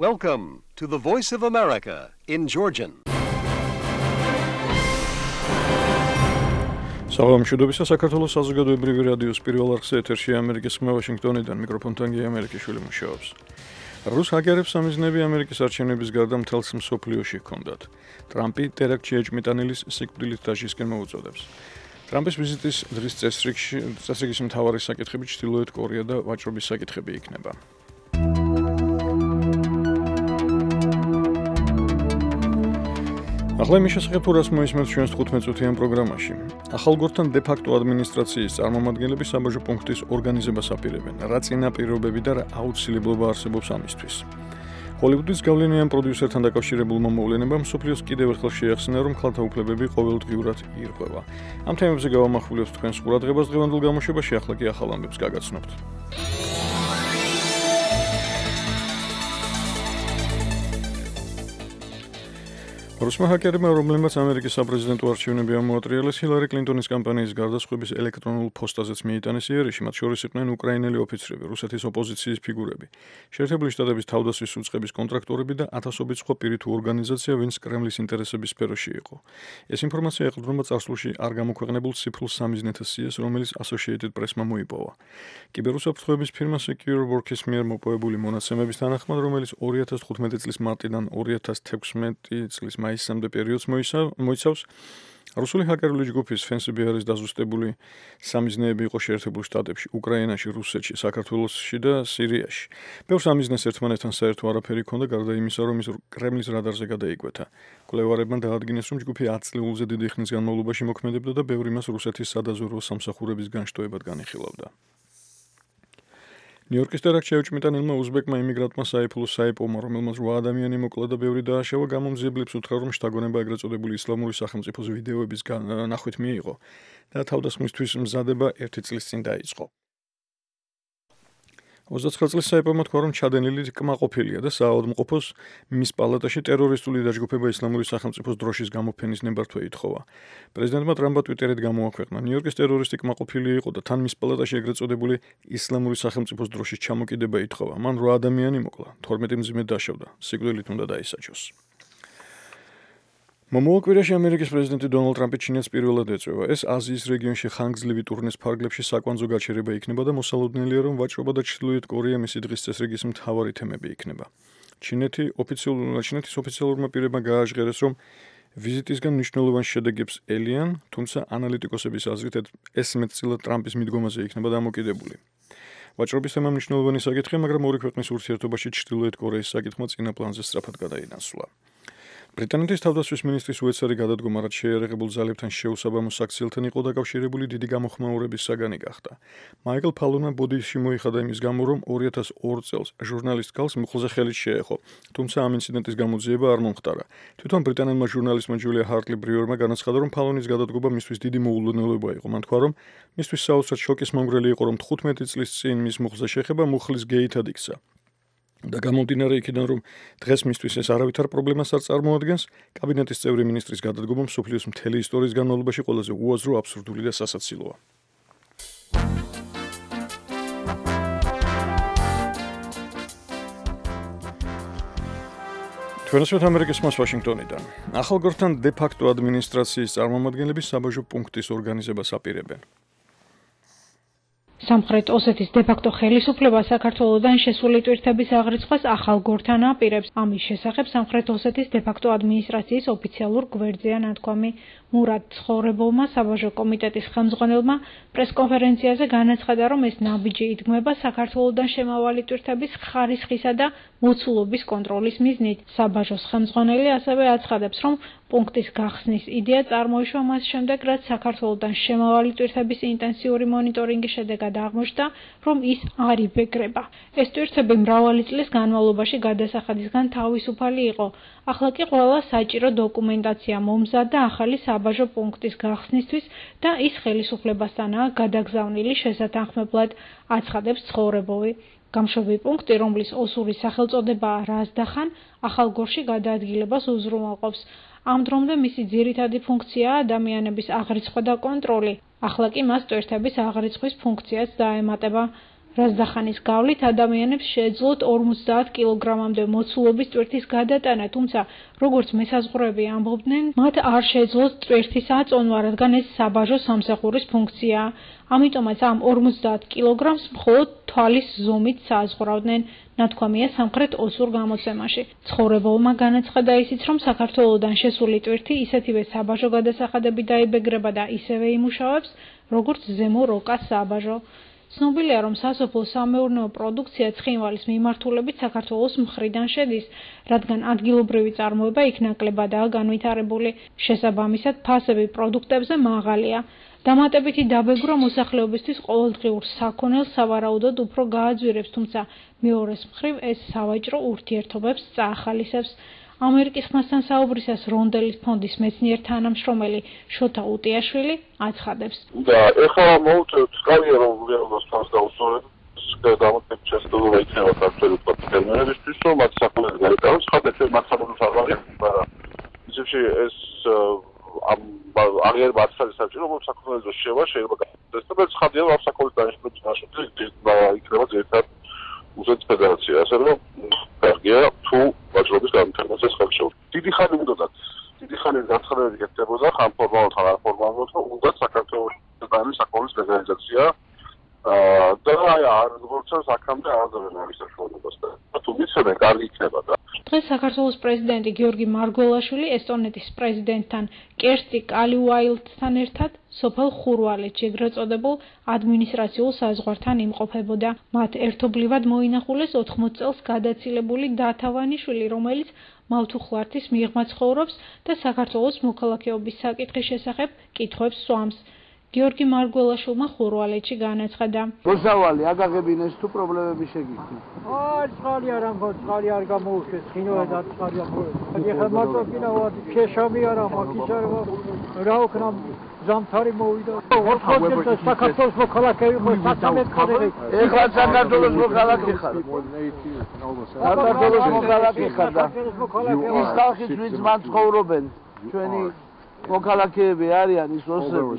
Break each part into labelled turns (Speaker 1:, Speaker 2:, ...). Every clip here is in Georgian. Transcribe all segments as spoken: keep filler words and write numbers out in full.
Speaker 1: Welcome to the Voice of America in Georgian.
Speaker 2: საღამო მშვიდობისა საქართველოს საზოგადოებრივი რადიოს პირველ არხზე ეთერში ამერიკის ხმა ვაშინგტონიდან მიკროფონთან გია ამერიკიშვილი მუშაობს. რუს ჰაკერებს სამიზნეები ამერიკის არჩევნების გარდა მთელს მსოფლიოში ჰქონდათ. ტრამპი ტერაქტში ეჭმიტანილის სიკვდილით დაშისკენ მოუწოდებს. ტრამპის ვიზიტის დღის წესრიგში წესრიგის მთავარი საკითხები ჩრდილოეთ კორეა და ვაჭრობის საკითხები იქნება. ახლა იმის შესახებ თუ რას მოისმენთ ჩვენს თხუთმეტ წუთიან პროგრამაში. ახალგორთან დე-ფაქტო ადმინისტრაციის წარმომადგენლები საბაჟო პუნქტის ორგანიზებას აპირებენ, რა წინაპირობები და რა აუცილებლობა არსებობს ამისთვის. ჰოლივუდის გავლენიან პროდიუსერთან დაკავშირებულმა მოვლენებამ მსოფლიოს კიდევ ერთხელ შეახსენა, რომ ქალთა უფლებები ყოველდღიურად ირღვევა. ამ თემებზე გავამახვილებთ თქვენს ყურადღებას დღევანდელ გამოშვებაში, ახლა კი ახალ ამბებს გაგაცნობთ. რუსმა ჰაკერებმა, რომლებმაც ამერიკის საპრეზიდენტო არჩევნები ამოატრიალეს, ჰილარი კლინტონის კამპანიის გარდაცვლების ელექტრონულ ფოსტაზეც მიიტანეს იერიში, მათ შორის იყვნენ უკრაინელი ოფიცრები, რუსეთის ოპოზიციის ფიგურები, შეერთებული შტატების თავდასხმის უწყების კონტრაქტორები და ათასობით სხვა პირი თუ ორგანიზაცია, ვინც კრემლის ინტერესების სფეროში იყო. ეს ინფორმაცია ეყრდნობა წარსულში არ გამოქვეყნებულ ციფრულ სამიზნეთა სიას, რომელიც Associated Press-მა მოიპოვა. კიბერუსაფრთხოების ფირმა Secure Works-ის მიერ მოპოვებული მონაცემების თანახმად, რომელიც ორი ათას თხუთმეტი წლის მარტიდან ორი ათას თექვსმეტი წლის მაისამდე პერიოდს მოიცავს, რუსული ჰაკერული ჯგუფის Fancy-Bear-ის დაზუსტებული სამიზნეები იყო შეერთებულ შტატებში, უკრაინაში, რუსეთში, საქართველოში და სირიაში. ბევრ სამიზნეს ერთმანეთთან საერთო არაფერი ჰქონდა, გარდა იმისა, რომ ის კრემლის რადარზე გადაიკვეთა. მკვლევარებმა დაადგინეს, რომ ჯგუფი ათ წლეულზე დიდი ხნის განმავლობაში მოქმედებდა და ბევრი მას რუსეთის სადაზვერვო სამსახურების განშტოებად განიხილავდა. ნიუ-იორკის ტერაქტში ეჭვმიტანილმა უზბეკმა იმიგრანტმა საიფულო საიპოვმა, რომელმაც რვა ადამიანი მოკლა და ბევრი დააშავა, გამომძიებლებს უთხრა, რომ შთაგონება ეგრეთ წოდებული ისლამური სახელმწიფოს ვიდეოების ნახვით მიიღო და თავდასხმისთვის მზადება ერთი წლის წინ დაიწყო. ოცდაცხრა წლის საიპოვმა თქვა, რომ ჩადენილი კმაყოფილია და საავადმყოფოს მის პალატაში ტერორისტული დაჯგუფება ისლამური სახელმწიფოს დროშის გამოფენის ნებართვა ითხოვა. პრეზიდენტმა ტრამპმა ტვიტერით გამოაქვეყნა: ნიუ-იორკის ტერორისტი კმაყოფილი იყო და თან მის პალატაში ეგრეთ წოდებული ისლამური სახელმწიფოს დროშის ჩამოკიდება ითხოვა. მან რვა ადამიანი მოკლა, თორმეტი მძიმედ დაშავდა, სიკვდილით უნდა დაისაჯოს. მომავალ კვირაში ამერიკის პრეზიდენტი დონალდ ტრამპი ჩინეთს პირველად ეწვევა. ეს აზიის რეგიონში ხანგრძლივი ტურნეს ფარგლებში საკვანძო გაჩერება იქნება და მოსალოდნელია, რომ ვაჭრობა და ჩრდილოეთ კორეა მისი დღის წესრიგის მთავარი თემები იქნება. ჩინეთი ოფიციალურად ჩინეთის ოფიციალურმა პირებმა გააჟღერეს, რომ ვიზიტისგან მნიშვნელოვან შედეგებს ელიან, თუმცა ანალიტიკოსების აზრით ეს მეტწილად ტრამპის მიდგომაზე იქნება დამოკიდებული. ვაჭრობის თემა მნიშვნელოვანი საკითხია, მაგრამ ორი ქვეყნის ურთიერთობაში ჩრდილოეთ კორეის საკითხმა წინა პლანზე სწრაფად გადაინაცვლა. ბრიტანეთის თავდაცვის მინისტრის უეცარი გადადგომა, რაც შეიარაღებულ ძალებთან შეუსაბამო საქციელთან იყო დაკავშირებული, დიდი გამოხმაურების საგანი გახდა. მაიკლ ფალონმა ბოდიში მოიხადა იმის გამო, რომ ორი ათას ორ წელს ჟურნალისტ ქალს მუხლზე ხელით შეეხო, თუმცა ამ ინციდენტის გამოძიება არ მომხდარა. თვითონ ბრიტანელმა ჟურნალისტმა ჯულია ჰარტლი ბრიუერმა განაცხადა, რომ ფალონის გადადგომა მისთვის დიდი მოულოდნელობა იყო. მან თქვა, რომ მისთვის საოცრად შოკის მომგვრელი იყო, რომ თხუთმეტი წლის წინ მის მუხლზე შეხება მუხლის გეითად იქცა. და გამომდინარე იქიდან, რომ დღეს მისთვის ეს არავითარ პრობლემას არ წარმოადგენს, კაბინეტის წევრი მინისტრის გადადგომა მსოფლიოს მთელი ისტორიის განმავლობაში ყველაზე უაზრო, აბსურდული და სასაცილოა. ჩვენასვეთ ამერიკის ხმას ვაშინგტონიდან. ახალგორთან დე-ფაქტო ადმინისტრაციის წარმომადგენლები საბაჟო პუნქტის ორგანიზებას აპირებენ.
Speaker 3: სამხრეთ ოსეთის დე-ფაქტო ხელისუფლება საქართველოდან შესული ტვირთების აღრიცხვას ახალგორთან აპირებს. ამის შესახებ სამხრეთ ოსეთის დე-ფაქტო ადმინისტრაციის ოფიციალურ გვერდზეა ნათქვამი. მურად ცხოვრებოვმა საბაჟო კომიტეტის ხელმძღვანელმა პრესკონფერენციაზე განაცხადა, რომ ეს ნაბიჯი იდგმება საქართველოდან შემავალი ტვირთების ხარისხისა და მოცულობის კონტროლის მიზნით. საბაჟოს ხელმძღვანელი ასევე აცხადებს, რომ პუნქტის გახსნის იდეა წარმოიშვა მას შემდეგ, რაც საქართველოდან შემავალი ტვირთების ინტენსიური მონიტორინგის შედეგად აღმოჩნდა, რომ ის არ იბეგრება. ეს ტვირთები მრავალი წლის განმავლობაში გადასახადისგან თავისუფალი იყო. ახლა კი ყველა საჭირო დოკუმენტაცია მომზადდა ახალი საბაჟო პუნქტის გახსნისთვის და ის ხელისუფლებასთანაა გადაგზავნილი შესათანხმებლად, აცხადებს ცხოვრებოვი. გამშვები პუნქტი, რომლის ოსური სახელწოდებაა რაზდახან, ახალგორში გადაადგილებას უზრუნველყოფს. ამ დრომდე მისი ძირითადი ფუნქციაა ადამიანების აღრიცხვა და კონტროლი. ახლა კი მას ტვირთების აღრიცხვის ფუნქციაც დაემატება. რაზდახანის გავლით ადამიანებს შეეძლოთ ორმოცდაათ კილოგრამამდე მოცულობის ტვირთის გადატანა, თუმცა როგორც მესაზღვრეები ამბობდნენ, მათ არ შეეძლოთ ტვირთის აწონვა, რადგან ეს საბაჟო სამსახურის ფუნქციაა. ამიტომაც ამ ორმოცდაათ კილოგრამს მხოლოდ თვალის ზომით სააზღვრავდნენ, ნათქვამია სამხრეთ ოსურ გამოცემაში. ცხოვრებულმა განაცხადა ისიც, რომ საქართველოდან შესული ტვირთი ისეთივე საბაჟო გადასახადები დაიბეგრება და ისევე იმუშავებს, როგორც ზემო როკას საბაჟო. ცნობილია, რომ სასოფლო სამეურნეო პროდუქცია ცხინვალის მიმართულებით საქართველოს მხრიდან შედის, რადგან ადგილობრივი წარმოება იქ ნაკლებადაა განვითარებული. შესაბამისად, ფასები პროდუქტებზე მაღალია. დამატებითი დაბეგრვა მოსახლეობისთვის ყოველდღიურ საქონელს სავარაუდოდ უფრო გააძვირებს, თუმცა მეორეს მხრივ ეს სავაჭრო ურთიერთობებს წაახალისებს. ამერიკის ხმასთან საუბრისას რონდელის ფონდის მეცნიერ თანამშრომელი შოთა უტიაშვილი აცხადებს.
Speaker 4: და ეხლა მოვუწევთ სკალია რომ რეალობას თავს დაუსწორებ დამატებით შესაძლებლობა იქნება საქართველოს ფერმერებისთვის რომ მათ საქონელს გაიტანოს ხადეთ მათ საქართველოს არ მაგრამ ისევში ეს ამ აღიარება არ არის საჭირო რომ საქონელს შევა შეიძლება გასცეს და ხადია რომ საქონლის დანიშნულების ნაშრომი იქნება ძირითადად რუსეთის ფედერაცია ასე რომ კარგია თუ ვაჭრობის განვითარებას ხელშეუხლება. დიდი ხანი უნდათ დიდი ხანი განცხადებები გექნებოდა ხან ფორმალურად ხან არფორმალურად რომ უნდა საქართველოს დანის საქონლის ლეგალიზაცია და აი არ როგორც აქამდე აღზევენ არის საშუალებას და თუ მიცემენ კარგი იქნება და
Speaker 3: დღეს საქართველოს პრეზიდენტი გიორგი მარგველაშვილი ესტონეთის პრეზიდენტთან კერსტი კალიუაილდთან ერთად სოფელ ხურვალეთში ეგრეთ წოდებულ ადმინისტრაციულ საზღვართან იმყოფებოდა. მათ ერთობლივად მოინახულეს ოთხმოც წელს გადაცილებული დათავანიშვილი, რომელიც მავთუხლართის მიღმა ცხოვრობს და საქართველოს მოქალაქეობის საკითხის შესახებ კითხვებს სვამს. გიორგი მარგველაშვილმა ხურვალეთში განაცხადა.
Speaker 5: მოსავალი აგაღებინეს თუ პრობლემები შეგიძლია.
Speaker 6: აი, წყალი არ ამბობ, წყალი არ გამოუშვეს, ხინოა და წყალი არ მოვა. ეხლა მარტო კიდევ შეშამი არა, მაგის არ რა ვქნა ზამთარი მოვიდა. ოთხმოცდაათი საქართველოს მოქალაქეები ხო სათამეთქარე.
Speaker 5: ეხლა საქართველოს მოქალაქე ხარ. საქართველოს მოქალაქე ხარ და ის ხალხი ვინც მან ცხოვრობენ, ჩვენი მოქალაქეები არიან ის ოსები,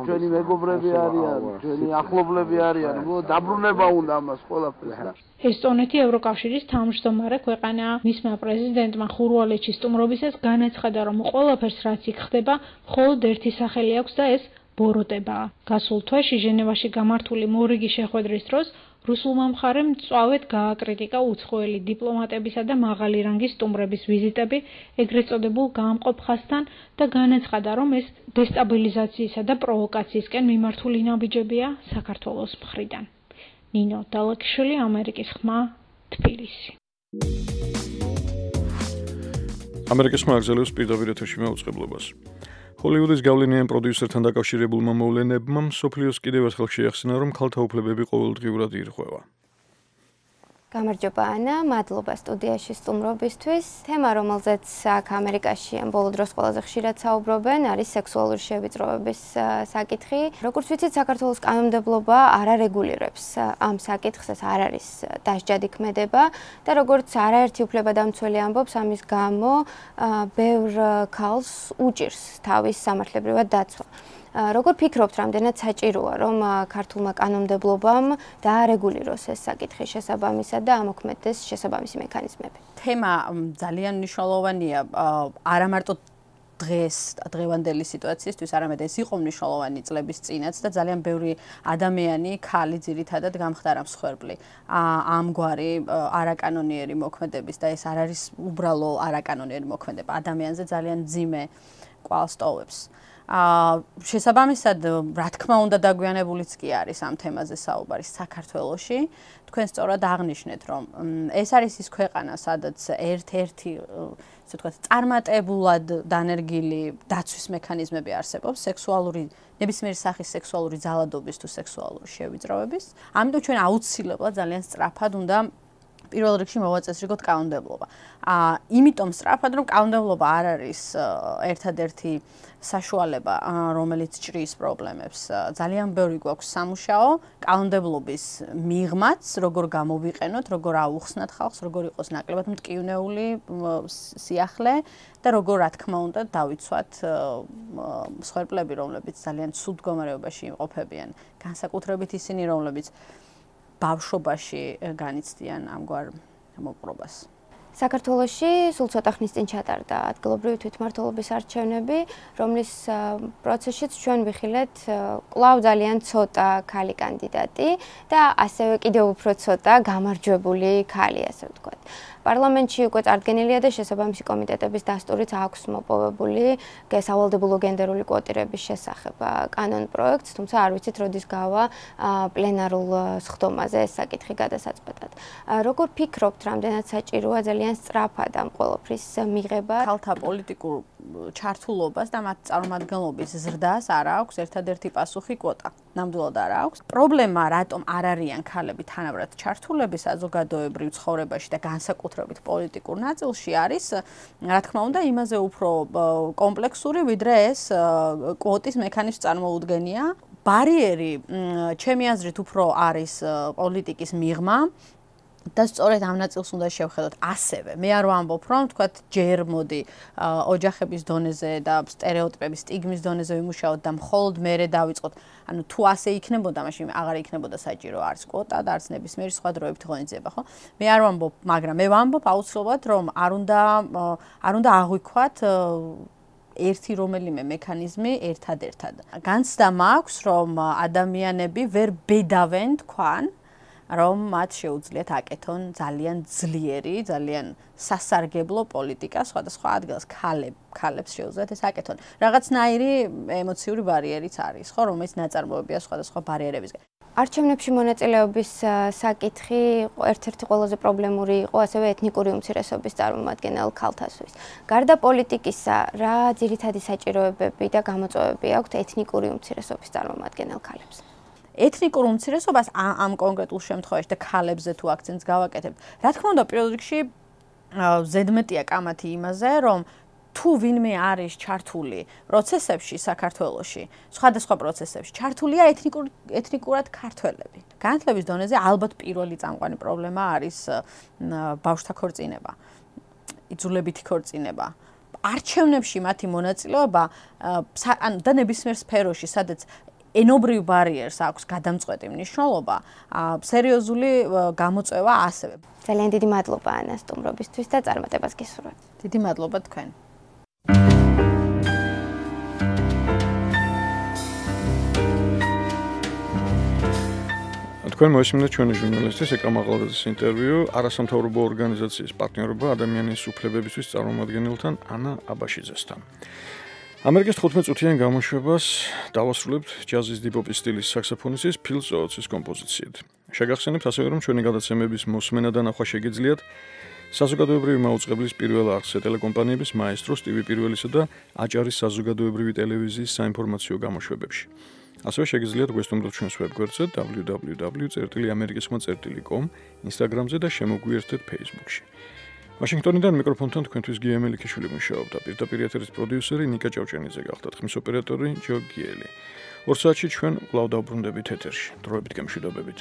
Speaker 5: ჩვენი მეგობრები არიან, ჩვენი ახლობლები არიან, დაბრუნება უნდა ამას ყველაფერს.
Speaker 3: ესტონეთი ევროკავშირის თავმჯდომარე ქვეყანაა. მისმა პრეზიდენტმა ხურვალეთში სტუმრობისას განაცხადა, რომ ყველაფერს რაც იქ ხდება, მხოლოდ ერთი სახელი აქვს და ეს ბოროტებაა. გასულ თვეში ჟენევაში გამართული მორიგი შეხვედრის დროს რუსულმა მხარემ მწვავედ გააკრიტიკა უცხოელი დიპლომატებისა და მაღალი რანგის სტუმრების ვიზიტები ეგრეთ წოდებულ გაამყოფ ხაზთან და განაცხადა, რომ ეს დესტაბილიზაციისა და პროვოკაციისკენ მიმართული ნაბიჯებია საქართველოს მხრიდან. ნინო დალაკიშვილი, ამერიკის ხმა, თბილისი.
Speaker 2: ამერიკის ხმა აგზელებს პირდაპირ ეთერში მეუწყებლობას. ჰოლივუდის გავლენიან პროდიუსერთან დაკავშირებულმა მოვლენებმა მსოფლიოს კიდევ ერთხელ შეახსენა, რომ ქალთა უფლებები ყოველდღიურად ირღვევა.
Speaker 7: გამარჯობა ანა, მადლობა სტუდიაში სტუმრობისთვის. თემა, რომელზეც აქ ამერიკაში ამ ბოლო დროს ყველაზე ხშირად საუბრობენ, არის სექსუალური შევიწროების საკითხი. როგორც ვიცით, საქართველოს კანონმდებლობა არ არეგულირებს ამ საკითხს, ეს არ არის დასჯადი ქმედება და როგორც არაერთი უფლებადამცველი ამბობს, ამის გამო ბევრ ქალს უჭირს თავის სამართლებრივად დაცვა. როგორ ფიქრობთ, რამდენად საჭიროა, რომ ქართულმა კანონმდებლობამ დაარეგულიროს ეს საკითხი შესაბამისად და ამოქმედდეს შესაბამისი მექანიზმები?
Speaker 8: თემა ძალიან მნიშვნელოვანია, არა მარტო დღეს, დღევანდელი სიტუაციისთვის, არამედ ეს იყო მნიშვნელოვანი წლების წინაც და ძალიან ბევრი ადამიანი, ქალი ძირითადად გამხდარა მსხვერპლი ამგვარი არაკანონიერი მოქმედების და ეს არ არის უბრალო არაკანონიერი მოქმედება, ადამიანზე ძალიან მძიმე კვალს ტოვებს. შესაბამისად, რა თქმა უნდა, დაგვიანებულიც კი არის ამ თემაზე საუბარი საქართველოში. თქვენ სწორად აღნიშნეთ, რომ ეს არის ის ქვეყანა, სადაც ერთ-ერთი, ასე ვთქვათ, წარმატებულად დანერგილი დაცვის მექანიზმები არსებობს სექსუალური, ნებისმიერი სახის სექსუალური ძალადობის თუ სექსუალური შევიწროების. ამიტომ ჩვენ აუცილებლად ძალიან სწრაფად უნდა პირველ რიგში მოვაწესრიგოთ კანონმდებლობა. აა, იმიტომ სწრაფად, რომ კანონმდებლობა არ არის ერთადერთი საშუალება, რომელიც ჭრის პრობლემებს. ძალიან ბევრი გვაქვს სამუშაო კანონმდებლობის მიღმაც, როგორ გამოვიყენოთ, როგორ აუხსნათ ხალხს, როგორ იყოს ნაკლებად მტკივნეული სიახლე და როგორ რა თქმა უნდა დავიცვათ მსხვერპლები, რომლებიც ძალიან ცუდ მდგომარეობაში იმყოფებიან, განსაკუთრებით ისინი, რომლებიც ბავშვობაში განიცდიან ამგვარ მოპყრობას.
Speaker 7: საქართველოში სულ ცოტა ხნის წინ ჩატარდა ადგილობრივი თვითმმართველობის არჩევნები, რომლის პროცესშიც ჩვენ ვიხილეთ კვლავ ძალიან ცოტა ქალი კანდიდატი და ასევე კიდევ უფრო ცოტა გამარჯვებული ქალი, ასე ვთქვათ. პარლამენტში უკვე წარდგენილია და შესაბამისი კომიტეტების დასტურით აქვს მოპოვებული სავალდებულო გენდერული კვოტირების შესახებ კანონ პროექტს, თუმცა არ ვიცით როდის გავა პლენარულ სხდომაზე ეს საკითხი გადასაწყვეტად. როგორ ფიქრობთ, რამდენად საჭიროა ძალიან სწრაფად ამ ყველაფრის მიღება?
Speaker 8: ქალთა პოლიტიკურ ჩართულობას და მათ წარმომადგენლობის ზრდას არ აქვს ერთადერთი პასუხი კვოტა. ნამდვილად არ აქვს. პრობლემა რატომ არ არიან ქალები თანაბრად ჩართულები საზოგადოებრივ ცხოვრებაში და განსაკუთრებით პოლიტიკურ ნაწილში არის, რა თქმა უნდა, იმაზე უფრო კომპლექსური, ვიდრე ეს კვოტის მექანიზმს წარმოუდგენია. ბარიერი, ჩემი აზრით, უფრო არის პოლიტიკის მიღმა. და სწორედ ამ ნაწილს უნდა შევხედოთ ასევე. მე არ ვამბობ, რომ თქვათ ჯერ მოდი ოჯახების დონეზე და სტერეოტიპების სტიგმის დონეზე ვიმუშაოთ და მხოლოდ მერე დავიწყოთ. ანუ თუ ასე იქნებოდა, მაშინ აღარ იქნებოდა საჭირო არც კვოტა და არც ნებისმიერი სხვა დროებით ღონისძიება, ხო? მე არ ვამბობ, მაგრამ მე ვამბობ აუცილებლად, რომ არ უნდა არ უნდა აღვიქვათ ერთი რომელიმე მექანიზმი ერთად-ერთად. განცდა მაქვს, რომ ადამიანები ვერ ბედავენ თქვან რომ მათ შეუძლიათ აკეთონ ძალიან ძლიერი, ძალიან სასარგებლო პოლიტიკა სხვადასხვა ადგილას ქალებ, ქალებს შეუძლიათ ეს აკეთონ. რაღაცნაირი ემოციური ბარიერიც არის, ხო, რომელიც ნაწარმოებია სხვადასხვა ბარიერებისგან.
Speaker 7: არჩევნებში მონაწილეობის საკითხი ერთ-ერთი ყველაზე პრობლემური იყო ასევე ეთნიკური უმცირესობის წარმომადგენელ ქალთასთვის. გარდა პოლიტიკისა, რა ძირითადი საჭიროებები და გამოწვევები აქვთ ეთნიკური უმცირესობის წარმომადგენელ ქალებს?
Speaker 8: ეთნიკურ უმცირესობას ამ კონკრეტულ შემთხვევაში და ქალებზე თუ აქცენტს გავაკეთებთ. რა თქმა უნდა, პირველ რიგში ზედმეტია კამათი იმაზე, რომ თუ ვინმე არის ჩართული პროცესებში საქართველოში, სხვადასხვა პროცესებში, ჩართულია ეთნიკურ ეთნიკურად ქართველები. განათლების დონეზე ალბათ პირველი წამყვანი პრობლემა არის ბავშვთა ქორწინება, იძულებითი ქორწინება. არჩევნებში მათი მონაწილეობა და ნებისმიერ სფეროში, სადაც ენობრივ ბარიერს აქვს გადამწყვეტი მნიშვნელობა, სერიოზული გამოწვევა ასევე.
Speaker 7: ძალიან დიდი მადლობა ანა სტუმრობისთვის და წარმატებას გისურვებთ.
Speaker 8: დიდი მადლობა თქვენ.
Speaker 2: თქვენ მოისმინეთ ჩვენი ჟურნალისტის ეკა მაღალაძის ინტერვიუ არასამთავრობო ორგანიზაციის პარტნიორობა ადამიანის უფლებებისთვის წარმომადგენელთან ანა აბაშიძესთან. ამერიკის თხუთმეტ წუთიან გამოშვებას დავასრულებთ ჯაზის დიპოპის სტილის საქსოფონისტის ფილ ზოოცის კომპოზიციით. შეგახსენებთ ასევე, რომ ჩვენი გადაცემების მოსმენა და ნახვა შეგიძლიათ საზოგადოებრივი მაუწყებლის პირველ არხზე ტელეკომპანიების მაესტრო სტივი პირველისა და აჭარის საზოგადოებრივი ტელევიზიის საინფორმაციო გამოშვებებში. ასევე შეგიძლიათ გვესტუმროთ ჩვენს ვებგვერდზე დაბლიუ დაბლიუ დაბლიუ წერტილი ამერიკისხმა წერტილი კომ, ინსტაგრამზე და შემოგვიერთდეთ ფეისბუქში. ვაშინგტონიდან მიკროფონთან თქვენთვის გია მელიქიშვილი მუშაობდა. პირდაპირ ეთერის პროდიუსერი ნიკა ჭავჭენიძე გახდათ, ხმის ოპერატორი ჯო გიელი. ორ საათში ჩვენ კვლავ დავბრუნდებით ეთერში. დროებით გემშვიდობებით.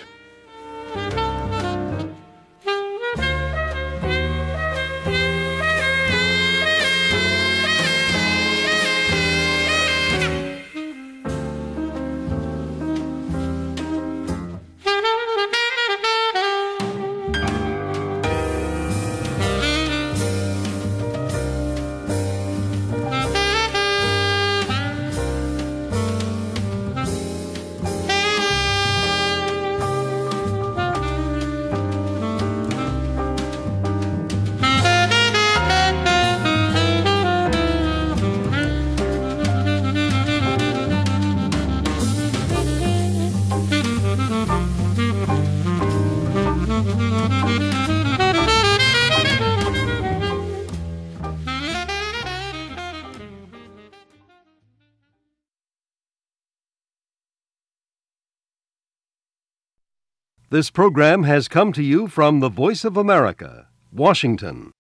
Speaker 1: This program has come to you from the Voice of America, Washington.